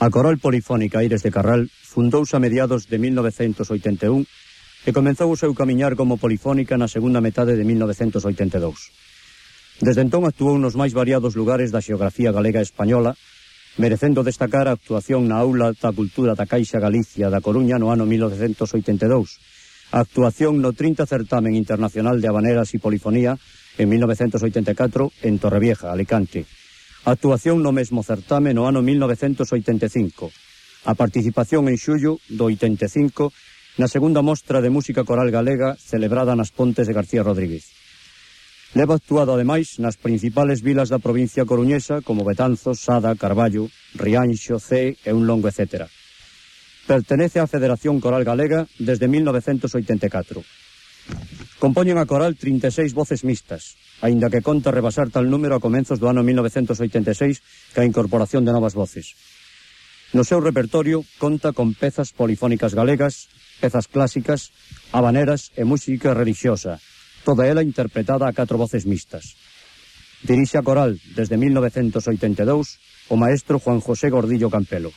A Coral Polifónica Aires de Carral fundouse a mediados de 1981 e comenzou o seu camiñar como polifónica na segunda metade de 1982. Desde entón actuou nos máis variados lugares da xeografía galega e española, merecendo destacar a actuación na Aula da Cultura da Caixa Galicia da Coruña no ano 1982, a actuación no 30 Certamen Internacional de Habaneras e Polifonía en 1984 en Torrevieja, Alicante, a actuación no mesmo certame no ano 1985, a participación en xullo do 85 na segunda mostra de música coral galega celebrada nas Pontes de García Rodríguez. Leva actuado ademais nas principales vilas da provincia coruñesa como Betanzos, Sada, Carballo, Rianxo, Cee e un longo etcétera. Pertenece á Federación Coral Galega desde 1984. Compoñen a coral 36 voces mixtas, aínda que conta rebasar tal número a comenzos do ano 1986 ca incorporación de novas voces. No seu repertorio conta con pezas polifónicas galegas, pezas clásicas, habaneras e música relixiosa, toda ela interpretada a 4 voces mixtas. Dirixe a coral desde 1982 o maestro Juan José Gordillo Campelo.